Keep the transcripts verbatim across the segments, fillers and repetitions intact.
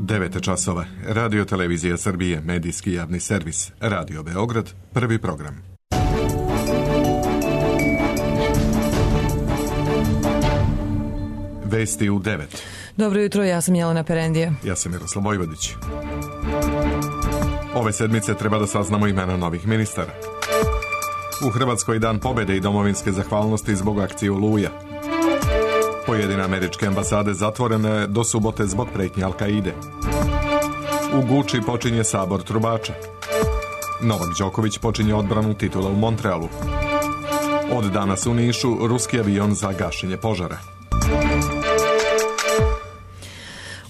devet časova. Radio Televizija Srbije, medijski javni servis. Radio Beograd, prvi program. Vesti u devet. Dobro jutro, ja sam Jelena Perendija. Ja sam Miroslav Vojvodić. Ove sedmice treba da saznamo imena novih ministara. U Hrvatskoj dan pobjede i domovinske zahvalnosti zbog akcije Oluja. Pojedine američke ambasade zatvorene do subote zbog pretnje Al-Kaide. U Guči počinje sabor trubača. Novak Đoković počinje odbranu titula u Montrealu. Od danas u Nišu ruski avion za gašenje požara.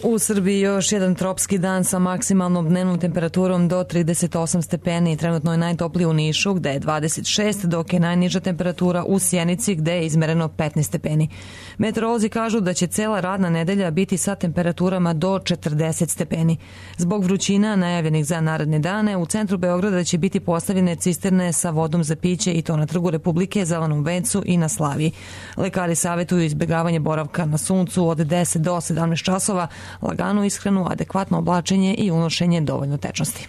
U Srbiji još jedan tropski dan sa maksimalnom dnevnom temperaturom do trideset osam stepeni. Trenutno je najtopliji u Nišu gde je dvadeset šest, dok je najniža temperatura u Sjenici gde je izmereno petnaest stepeni. Meteorolozi kažu da će cela radna nedelja biti sa temperaturama do četrdeset stepeni. Zbog vrućina najavljenih za naredne dane u centru Beograda će biti postavljene cisterne sa vodom za piće i to na Trgu Republike, Zelenom vencu i na Slaviji. Lekari savjetuju izbjegavanje boravka na suncu od deset do sedamnaest časova, laganu ishranu, adekvatno oblačenje i unošenje dovoljno tečnosti.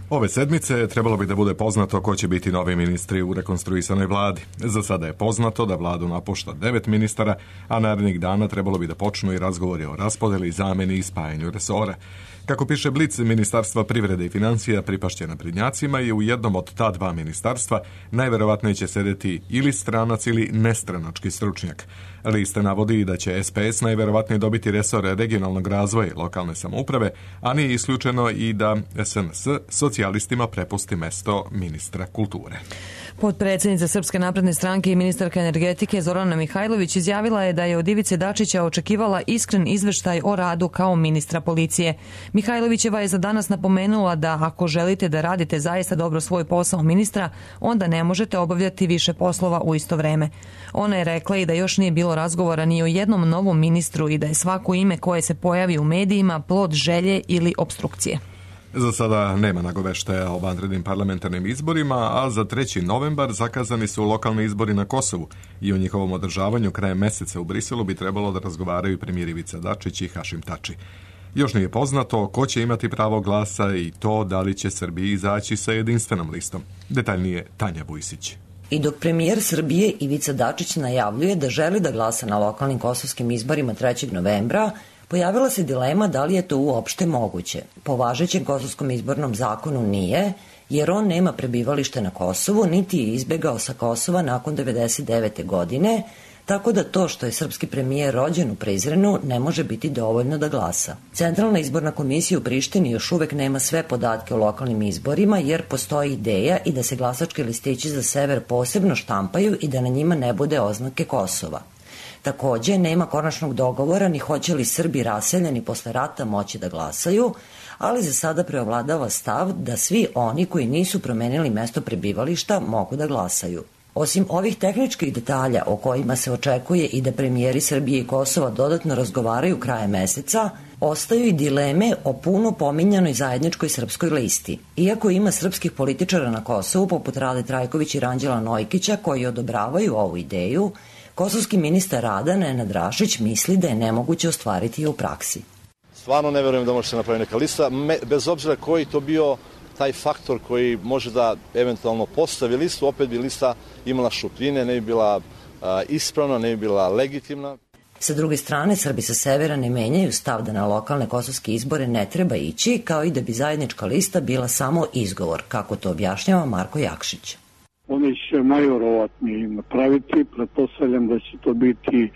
Ove sedmice trebalo bi da bude poznato ko će biti novi ministri u rekonstruisanoj vladi. Za sada je poznato da vladu napušta devet ministara, a narednih dana trebalo bi da počnu i razgovori o raspodeli, zameni i spajanju resora. Kako piše Blic, Ministarstva privrede i financija pripašće naprednjacima i u jednom od ta dva ministarstva najverovatnije će sedeti ili stranac ili nestranački stručnjak. Lista navodi da će S P S najverovatnije dobiti resor regionalnog razvoja i lokalne samouprave, a nije isključeno i da S N S socijalistima prepusti mesto ministra kulture. Potpredsednica Srpske napredne stranke i ministarka energetike Zorana Mihajlović izjavila je da je od Ivice Dačića očekivala iskren izveštaj o radu kao ministra policije. Mihajlovićeva je za danas napomenula da ako želite da radite zaista dobro svoj posao ministra, onda ne možete obavljati više poslova u isto vreme. Ona je rekla i da još nije bilo razgovora ni o jednom novom ministru i da je svako ime koje se pojavi u medijima plod želje ili opstrukcije. Za sada nema nagoveštaja o vanrednim parlamentarnim izborima, a za treći novembar zakazani su lokalni izbori na Kosovu i o njihovom održavanju krajem meseca u Briselu bi trebalo da razgovaraju premijer Ivica Dačić i Hašim Tači. Još nije poznato ko će imati pravo glasa i to da li će Srbiji izaći sa jedinstvenom listom. Detaljnije Tanja Vujsić. I dok premijer Srbije Ivica Dačić najavljuje da želi da glasa na lokalnim kosovskim izborima trećeg novembra, pojavila se dilema da li je to uopšte moguće. Po važećem kosovskom izbornom zakonu nije, jer on nema prebivalište na Kosovu, niti je izbegao sa Kosova nakon devedeset devete godine, tako da to što je srpski premijer rođen u Prizrenu ne može biti dovoljno da glasa. Centralna izborna komisija u Prištini još uvek nema sve podatke o lokalnim izborima, jer postoji ideja i da se glasački listići za sever posebno štampaju i da na njima ne bude oznake Kosova. Takođe, nema konačnog dogovora ni hoće li Srbi raseljeni posle rata moći da glasaju, ali za sada preovladava stav da svi oni koji nisu promenili mesto prebivališta mogu da glasaju. Osim ovih tehničkih detalja o kojima se očekuje i da premijeri Srbije i Kosova dodatno razgovaraju krajem meseca, ostaju i dileme o puno pominjanoj zajedničkoj srpskoj listi. Iako ima srpskih političara na Kosovu, poput Rade Trajković i Ranđela Nojkića, koji odobravaju ovu ideju, kosovski ministar rada Nenad Rašić misli da je nemoguće ostvariti u praksi. Stvarno ne verujem da može se napraviti neka lista, bez obzira koji to bio taj faktor koji može da eventualno postavi listu, opet bi lista imala šupljine, ne bi bila a, ispravna, ne bi bila legitimna. Sa druge strane, Srbi sa severa ne menjaju stav da na lokalne kosovske izbore ne treba ići, kao i da bi zajednička lista bila samo izgovor, kako to objašnjava Marko Jakšić. Oni će najverovatnije napraviti, pretpostavljam da će to biti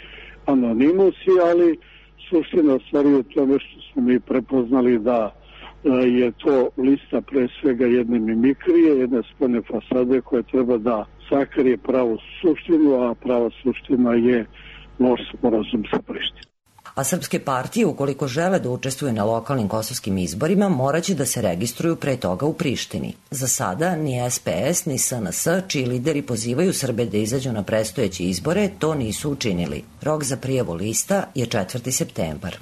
anonimusi, ali suština stvari je tome što smo mi prepoznali da je to lista pre svega jedne mimikrije, jedne spoljne fasade koja treba da sakrije pravu suštinu, a prava suština je loš sporazum sa Prištinom. A srpske partije, ukoliko žele da učestvuju na lokalnim kosovskim izborima, moraće da se registruju pre toga u Prištini. Za sada ni S P S ni S N S, čiji lideri pozivaju Srbe da izađu na predstojeće izbore, to nisu učinili. Rok za prijavu lista je četvrti septembar.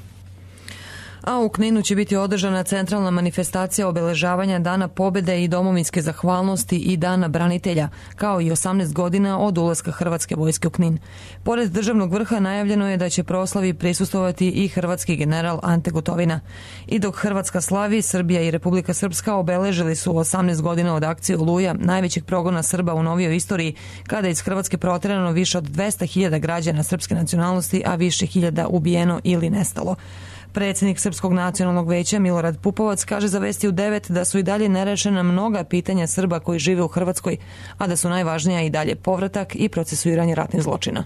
A u Kninu će biti održana centralna manifestacija obeležavanja Dana pobjede i domovinske zahvalnosti i Dana branitelja, kao i osamnaest godina od ulaska Hrvatske vojske u Knin. Pored državnog vrha najavljeno je da će proslavi prisustvovati i hrvatski general Ante Gotovina. I dok Hrvatska slavi, Srbija i Republika Srpska obeležili su osamnaest godina od akcije Oluja, najvećeg progona Srba u novijoj istoriji, kada je iz Hrvatske proterano više od dvesta hiljada građana srpske nacionalnosti, a više hiljada ubijeno ili nestalo. Predsjednik Srpskog nacionalnog veća Milorad Pupovac kaže za Vesti u devet da su i dalje nerešena mnoga pitanja Srba koji žive u Hrvatskoj, a da su najvažnija i dalje povratak i procesuiranje ratnih zločina.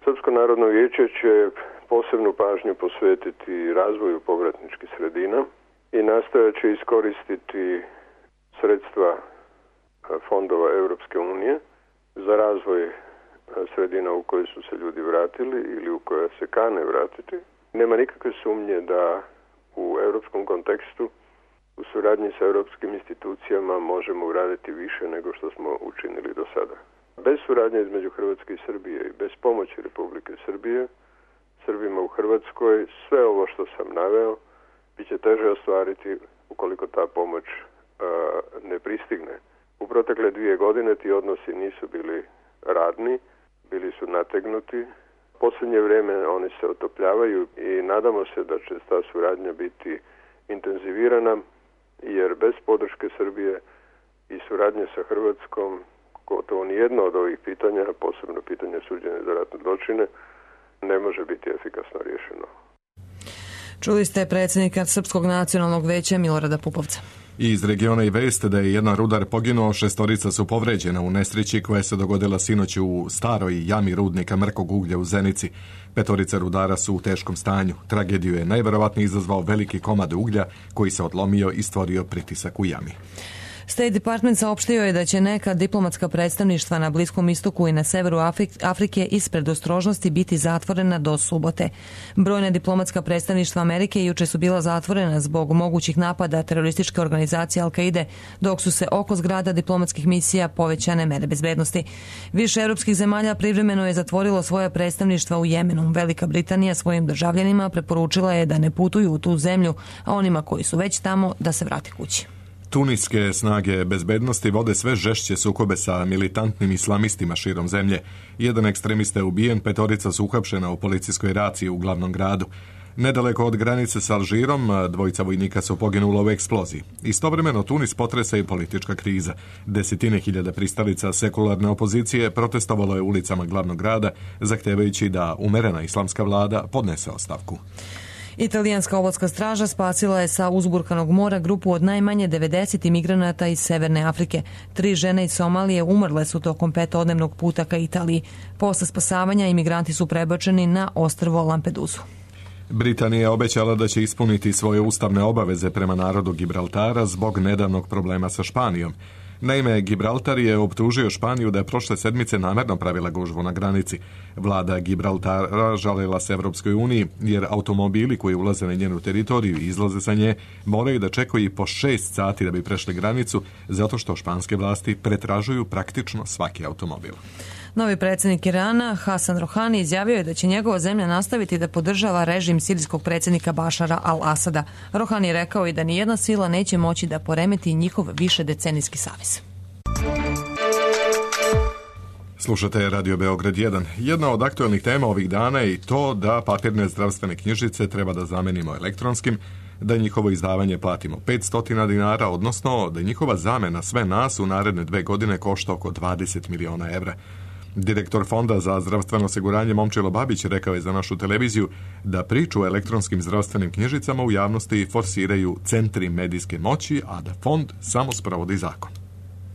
Srpsko narodno vijeće će posebnu pažnju posvetiti razvoju povratničkih sredina i nastojat će iskoristiti sredstva fondova Europske unije za razvoj sredina u koje su se ljudi vratili ili u koje se kane vratiti. Nema nikakve sumnje da u europskom kontekstu, u suradnji sa europskim institucijama možemo uraditi više nego što smo učinili do sada. Bez suradnje između Hrvatske i Srbije i bez pomoći Republike Srbije, Srbima u Hrvatskoj, sve ovo što sam naveo, bit će teže ostvariti ukoliko ta pomoć a, ne pristigne. U protekle dvije godine ti odnosi nisu bili radni, bili su nategnuti. Posljednje vrijeme oni se otopljavaju i nadamo se da će ta suradnja biti intenzivirana, jer bez podrške Srbije i suradnje sa Hrvatskom gotovo nijedno od ovih pitanja, posebno pitanje suđenja za ratne zločine, ne može biti efikasno riješeno. Čuli ste predsjednika Srpskog nacionalnog veća Milorada Pupovca. I iz regiona i veste da je jedan rudar poginuo, šestorica su povređena u nesreći koja se dogodila sinoć u staroj jami rudnika mrkog uglja u Zenici. Petorica rudara su u teškom stanju. Tragediju je najverovatnije izazvao veliki komad uglja koji se odlomio i stvorio pritisak u jami. State Department saopštio je da će neka diplomatska predstavništva na Bliskom istoku i na severu Afrike iz predostrožnosti biti zatvorena do subote. Brojna diplomatska predstavništva Amerike juče su bila zatvorena zbog mogućih napada terorističke organizacije Al-Kaide, dok su se oko zgrada diplomatskih misija povećane mere bezbednosti. Više europskih zemalja privremeno je zatvorilo svoja predstavništva u Jemenu. Velika Britanija svojim državljanima preporučila je da ne putuju u tu zemlju, a onima koji su već tamo da se vrate kući. Tuniske snage bezbednosti vode sve žešće sukobe sa militantnim islamistima širom zemlje. Jedan ekstremista je ubijen, petorica su uhapšena u policijskoj raciji u glavnom gradu. Nedaleko od granice sa Alžirom, dvojica vojnika su poginula u eksploziji. Istovremeno Tunis potresa i politička kriza. Desetine hiljada pristalica sekularne opozicije protestovalo je ulicama glavnog grada, zahtevajući da umerena islamska vlada podnese ostavku. Italijanska obalska straža spasila je sa uzburkanog mora grupu od najmanje devedeset imigranata iz Severne Afrike. Tri žene iz Somalije umrle su tokom petodnevnog puta ka Italiji. Posle spasavanja imigranti su prebačeni na ostrvo Lampedusu. Britanija je obećala da će ispuniti svoje ustavne obaveze prema narodu Gibraltara zbog nedavnog problema sa Španijom. Naime, Gibraltar je optužio Španiju da je prošle sedmice namerno pravila gužvu na granici. Vlada Gibraltara žalila se Evropskoj uniji jer automobili koji ulaze na njenu teritoriju i izlaze sa nje moraju da čekaju i po šest sati da bi prešli granicu, zato što španske vlasti pretražuju praktično svaki automobil. Novi predsjednik Irana, Hasan Rohani, izjavio je da će njegova zemlja nastaviti da podržava režim sirijskog predsjednika Bašara al-Asada. Rohani je rekao i da nijedna sila neće moći da poremeti njihov višedecenijski savez. Slušate Radio Beograd jedan. Jedna od aktualnih tema ovih dana je i to da papirne zdravstvene knjižice treba da zamenimo elektronskim, da njihovo izdavanje platimo petsto dinara, odnosno da njihova zamena sve nas u naredne dve godine košta oko dvadeset miliona evra. Direktor Fonda za zdravstveno osiguranje Momčilo Babić rekao je za našu televiziju da priču o elektronskim zdravstvenim knjižicama u javnosti forsiraju centri medijske moći, a da fond samo sprovodi zakon.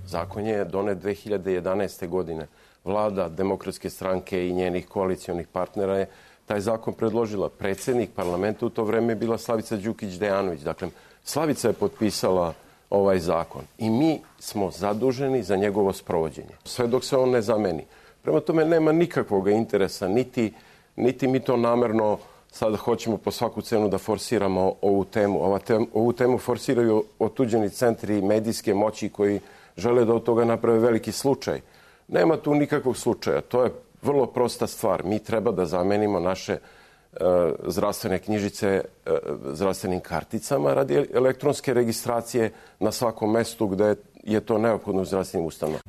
Zakon je donet dve hiljade jedanaeste. godine. Vlada Demokratske stranke i njenih koalicionih partnera je taj zakon predložila. Predsjednik parlamenta u to vreme je bila Slavica Đukić-Dejanović. Dakle, Slavica je potpisala ovaj zakon i mi smo zaduženi za njegovo sprovođenje. Sve dok se on ne zameni. Prema tome nema nikakvog interesa, niti, niti mi to namerno sada hoćemo po svaku cenu da forsiramo ovu temu. Ova tem, ovu temu forsiraju otuđeni centri medijske moći koji žele da od toga naprave veliki slučaj. Nema tu nikakvog slučaja. To je vrlo prosta stvar. Mi treba da zamenimo naše zdravstvene knjižice zdravstvenim karticama radi elektronske registracije na svakom mestu gde je to neophodno u zdravstvenim ustanovama.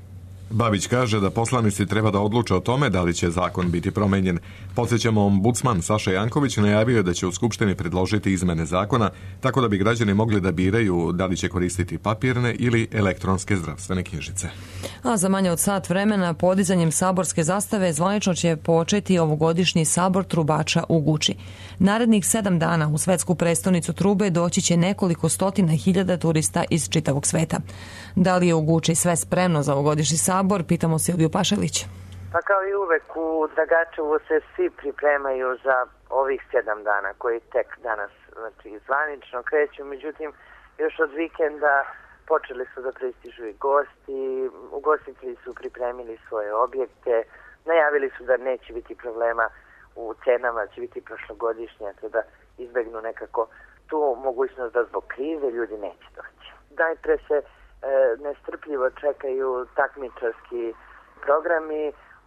Babić kaže da poslanici treba da odluče o tome da li će zakon biti promenjen. Podsjećamo, ombudsman Saša Janković najavio je da će u Skupštini predložiti izmene zakona tako da bi građani mogli da biraju da li će koristiti papirne ili elektronske zdravstvene knjižice. A za manje od sat vremena podizanjem saborske zastave zvanično će početi ovogodišnji sabor trubača u Guči. Narednih sedam dana u svetsku prestonicu trube doći će nekoliko stotina hiljada turista iz čitavog sveta. Da li je u Guči sve spremno za ovogodišnji sabor, pitamo Silviju Pašalić. Pa kao i uvek u Dragačevu se svi pripremaju za ovih sedam dana koji tek danas znači, zvanično kreću, međutim još od vikenda počeli su da pristižu i gosti, ugostitelji su pripremili svoje objekte, najavili su da neće biti problema u cenama, će biti prošlogodišnje, te da izbegnu nekako tu mogućnost da zbog krize ljudi neće doći. Najpre se e, nestrpljivo čekaju takmičarski programi.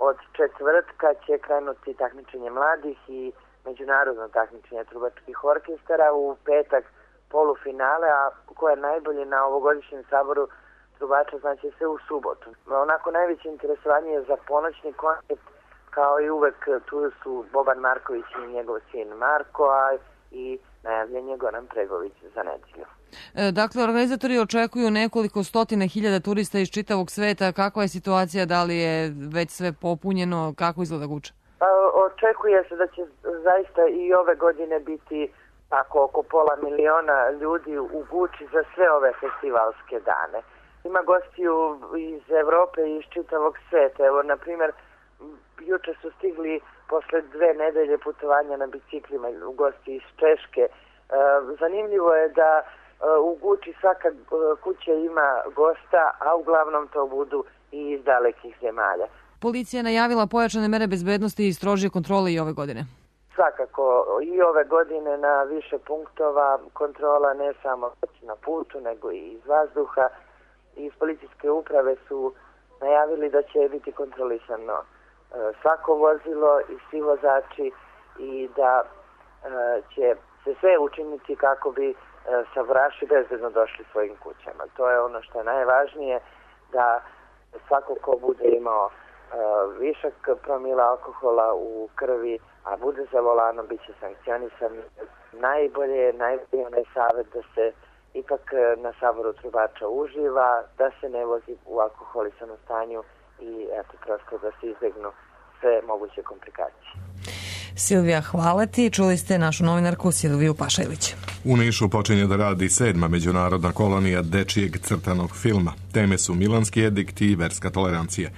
Od četvrtka će krenuti takmičenje mladih i međunarodno takmičenje trubačkih orkestara, u petak polufinale, a ko je najbolji na ovogodišnjem saboru trubača znači se u subotu. Onako najveće interesovanje je za ponoćni koncert, kao i uvek tu su Boban Marković i njegov sin Marko, a i najavljen je Goran Pregović za nedelju. E, dakle, organizatori očekuju nekoliko stotina hiljada turista iz čitavog sveta. Kakva je situacija? Da li je već sve popunjeno? Kako izgleda Guča? Pa, očekuje se da će zaista i ove godine biti tako oko pola miliona ljudi u Guči za sve ove festivalske dane. Ima gostiju iz Evrope i iz čitavog sveta. Evo, na primjer, juče su stigli posle dve nedelje putovanja na biciklima u gosti iz Češke. E, zanimljivo je da e, u Guči svaka e, kuća ima gosta, a uglavnom to budu i iz dalekih zemalja. Policija je najavila pojačane mere bezbednosti i strožije kontrole i ove godine. Svakako i ove godine na više punktova kontrola ne samo na putu, nego i iz vazduha. Iz policijske uprave su najavili da će biti kontrolisano svako vozilo i svi vozači i da e, će se sve učiniti kako bi e, sabораši bezbedno došli svojim kućama. To je ono što je najvažnije, da svako ko bude imao e, višak promila alkohola u krvi, a bude za volanom, bit će sankcionisan. Najbolje je najbolje onaj savjet da se ipak na saboru trubača uživa, da se ne vozi u alkoholisanom stanju i eto, prosto da se izbegnu sve moguće komplikacije. Silvija, hvala ti. Čuli ste našu novinarku Silviju Pašajlić. U Nišu počinje da radi sedma međunarodna kolonija dečijeg crtanog filma. Teme su milanski edikt i verska tolerancija.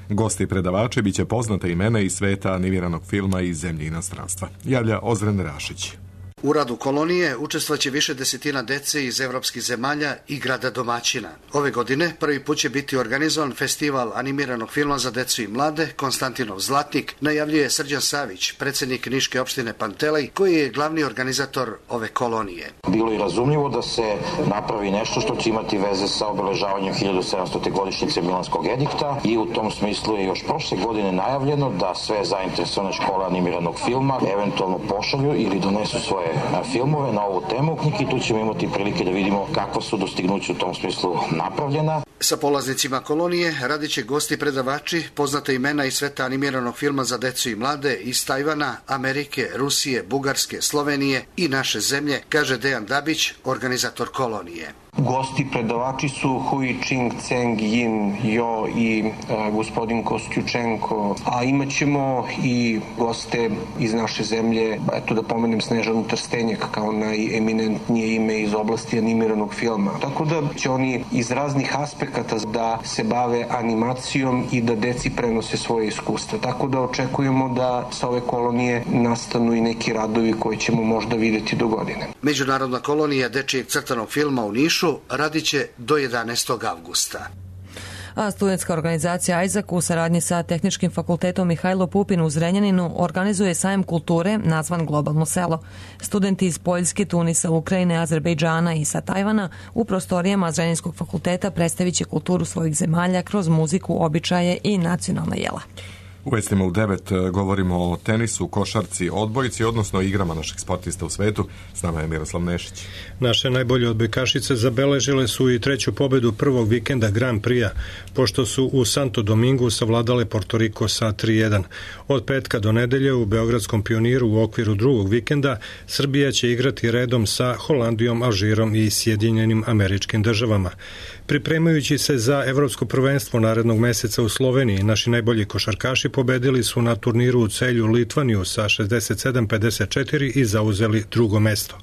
Gosti i predavači biće poznate imena iz sveta animiranog filma i zemlje inostranstva. Javlja Ozren Rašić. U radu kolonije učestvaće više desetina dece iz evropskih zemalja i grada domaćina. Ove godine prvi put će biti organizovan festival animiranog filma za decu i mlade Konstantinov Zlatnik, najavljuje Srđan Savić, predsjednik Niške opštine Pantelej, koji je glavni organizator ove kolonije. Bilo je razumljivo da se napravi nešto što će imati veze sa obeležavanjem hiljadu sedamstote godišnjice Milanskog edikta i u tom smislu je još prošle godine najavljeno da sve zainteresovane škole animiranog filma eventualno pošalju ili donesu svoje filmove na ovu temu i tu ćemo imati prilike da vidimo kakva su dostignuća u tom smislu napravljena. Sa polaznicima kolonije radit će gosti predavači, poznate imena iz sveta animiranog filma za decu i mlade iz Tajvana, Amerike, Rusije, Bugarske, Slovenije i naše zemlje, kaže Dejan Dabić, organizator kolonije. Gosti predavači su Hui Ching, Ceng, Yin, Jo i e, gospodin Kostjučenko, a imat ćemo i goste iz naše zemlje, eto da pomenem Snežanu Trstenjak kao najeminentnije ime iz oblasti animiranog filma. Tako da će oni iz raznih aspekata da se bave animacijom i da deci prenose svoje iskustva. Tako da očekujemo da sa ove kolonije nastanu i neki radovi koje ćemo možda videti do godine. Međunarodna kolonija dečijeg crtanog filma u Nišu radit će do jedanaestog avgusta. A studentska organizacija Isaac u saradnji sa Tehničkim fakultetom Mihajlo Pupin u Zrenjaninu organizuje sajam kulture nazvan Globalno selo. Studenti iz Poljske, Tunisa, Ukrajine, Azerbejdžana i sa Tajvana u prostorijama Zrenjanskog fakulteta predstavit će kulturu svojih zemalja kroz muziku, običaje i nacionalna jela. U vestima u devet govorimo o tenisu, košarci, odbojci, odnosno igrama naših sportista u svetu. S nama je Miroslav Nešić. Naše najbolje odbojkašice zabeležile su i treću pobedu prvog vikenda Grand Prix-a, pošto su u Santo Domingu savladale Porto Riko sa tri jedan. Od petka do nedelje u Beogradskom Pioniru u okviru drugog vikenda Srbija će igrati redom sa Holandijom, Alžirom i Sjedinjenim Američkim Državama. Pripremajući se za evropsko prvenstvo narednog meseca u Sloveniji, naši najbolji košarkaši pobedili su na turniru u Celju Litvaniju sa šezdeset sedam pedeset četiri i zauzeli drugo mesto.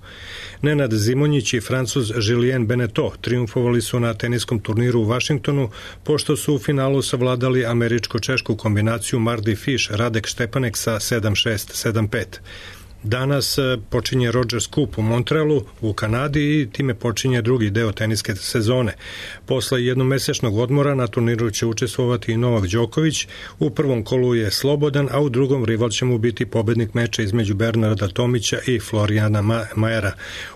Nenad Zimonjić i Francuz Julien Beneteau triumfovali su na teniskom turniru u Vašingtonu, pošto su u finalu savladali američko-češku kombinaciju Mardy Fish Radek Štepanek sa sedam šest sedam pet. Danas počinje Rogers Cup u Montrealu u Kanadi i time počinje drugi deo teniske sezone. Posle jednomesečnog odmora na turniru će učestvovati i Novak Đoković. U prvom kolu je slobodan, a u drugom rival će mu biti pobednik meča između Bernarda Tomića i Florijana Majera.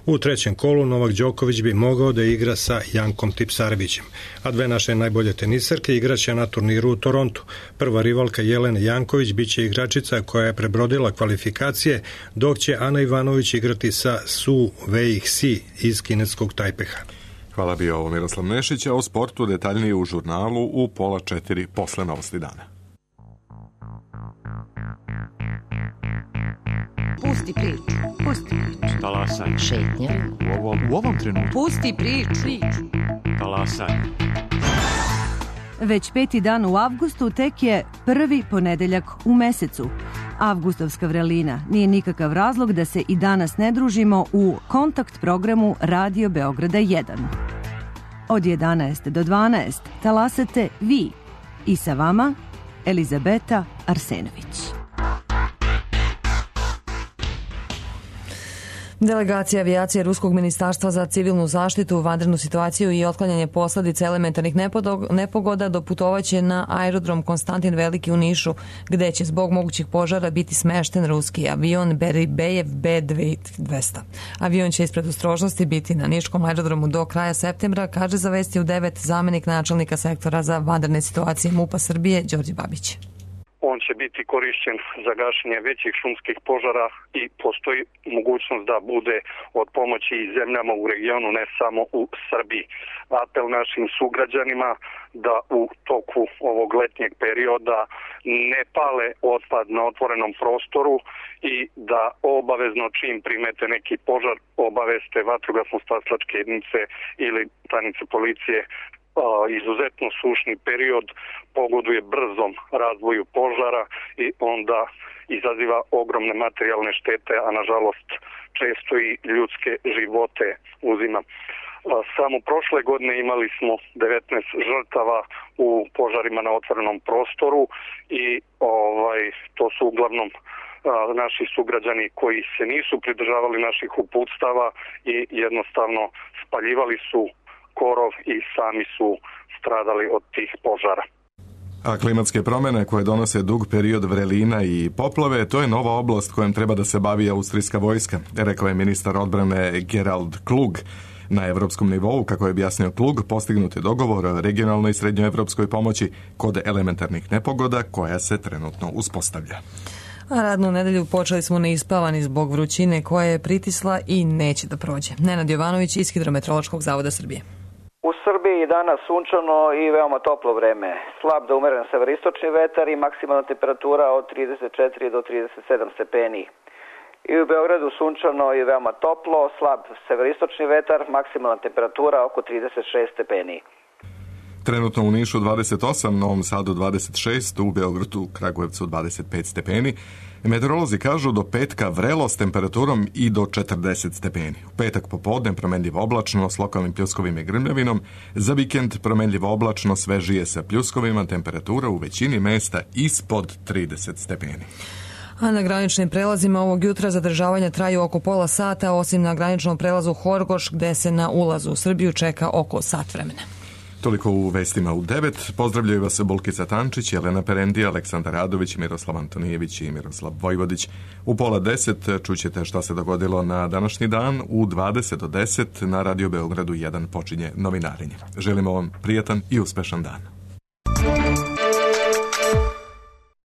U trećem kolu Novak Đoković bi mogao da igra sa Jankom Tipsarevićem. A dve naše najbolje tenisarke igraće na turniru u Torontu. Prva rivalka Jelena Janković biće igračica koja je prebrodila kvalifikacije, dok će Ana Ivanović igrati sa Su Wei-Hsi iz kineskog Tajpeha. Hvala bio ovo Miroslav Nešić, a o sportu detaljnije u žurnalu u pola četiri posle novosti dana. Pusti priču, pusti priču. Talasaj. Šetnja. U ovom, u ovom trenutku. Pusti priču. Talasaj. Već peti dan u avgustu tek je prvi ponedeljak u mesecu. Avgustovska vrelina nije nikakav razlog da se i danas ne družimo u kontakt programu Radio Beograda jedan. Od jedanaest do dvanaest talasate vi i sa vama Elizabeta Arsenović. Delegacija avijacije Ruskog ministarstva za civilnu zaštitu, vanrednu situaciju i otklanjanje posledica elementarnih nepogoda doputovaće na aerodrom Konstantin Veliki u Nišu, gde će zbog mogućih požara biti smešten ruski avion Beribejev B dvesta. Avion će ispred ostrožnosti biti na niškom aerodromu do kraja septembra, kaže za Vesti u devet zamenik načelnika sektora za vanredne situacije MUP-a Srbije Đorđe Babić. On će biti korišćen za gašenje većih šumskih požara i postoji mogućnost da bude od pomoći i zemljama u regionu, ne samo u Srbiji. Apel našim sugrađanima da u toku ovog letnjeg perioda ne pale otpad na otvorenom prostoru i da obavezno čim primete neki požar obaveste vatrogasno-spasilačke jedinice ili stanice policije. Izuzetno sušni period pogoduje brzom razvoju požara i onda izaziva ogromne materijalne štete, a nažalost često i ljudske živote uzima. Samo prošle godine imali smo devetnaest žrtava u požarima na otvorenom prostoru i ovaj to su uglavnom naši sugrađani koji se nisu pridržavali naših uputstava i jednostavno spaljivali su korov i sami su stradali od tih požara. A klimatske promjene koje donose dug period vrelina i poplave, to je nova oblast kojom treba da se bavi austrijska vojska, rekao je ministar odbrane Gerald Klug. Na evropskom nivou, kako je objasnio Klug, postignut je dogovor o regionalnoj i srednjoevropskoj pomoći kod elementarnih nepogoda koja se trenutno uspostavlja. A radnu nedelju počeli smo neispavani zbog vrućine koja je pritisla i neće da prođe. Nenad Jovanović iz Hidrometeorološkog zavoda Srbije. U Srbiji je danas sunčano i veoma toplo vreme. Slab da umeren severistočni vetar i maksimalna temperatura od trideset četiri do trideset sedam stepeni. I u Beogradu sunčano i veoma toplo, slab severistočni vetar, maksimalna temperatura oko trideset šest stepeni. Trenutno u Nišu dvadeset osam, Novom Sadu dvadeset šest, u Beogradu, Kragujevcu dvadeset pet stepeni. Meteorolozi kažu do petka vrelo s temperaturom i do četrdeset stepeni. U petak popodne promenljivo oblačno s lokalnim pljuskovima i grmljavnom. Za vikend promenljivo oblačno svežije sa pljuskovima, temperatura u većini mesta ispod trideset stepeni. A na graničnim prelazima ovog jutra zadržavanja traju oko pola sata, osim na graničnom prelazu Horgoš, gde se na ulazu u Srbiju čeka oko sat vremena. Toliko u vestima u devet. Pozdravljaju vas Bulkica Tančić, Jelena Perendija, Aleksandar Radović, Miroslav Antonijević i Miroslav Vojvodić. U pola deset čućete šta se dogodilo na današnji dan. U dvadeset do deset na Radio Beogradu jedan počinje novinarenje. Želimo vam prijatan i uspešan dan.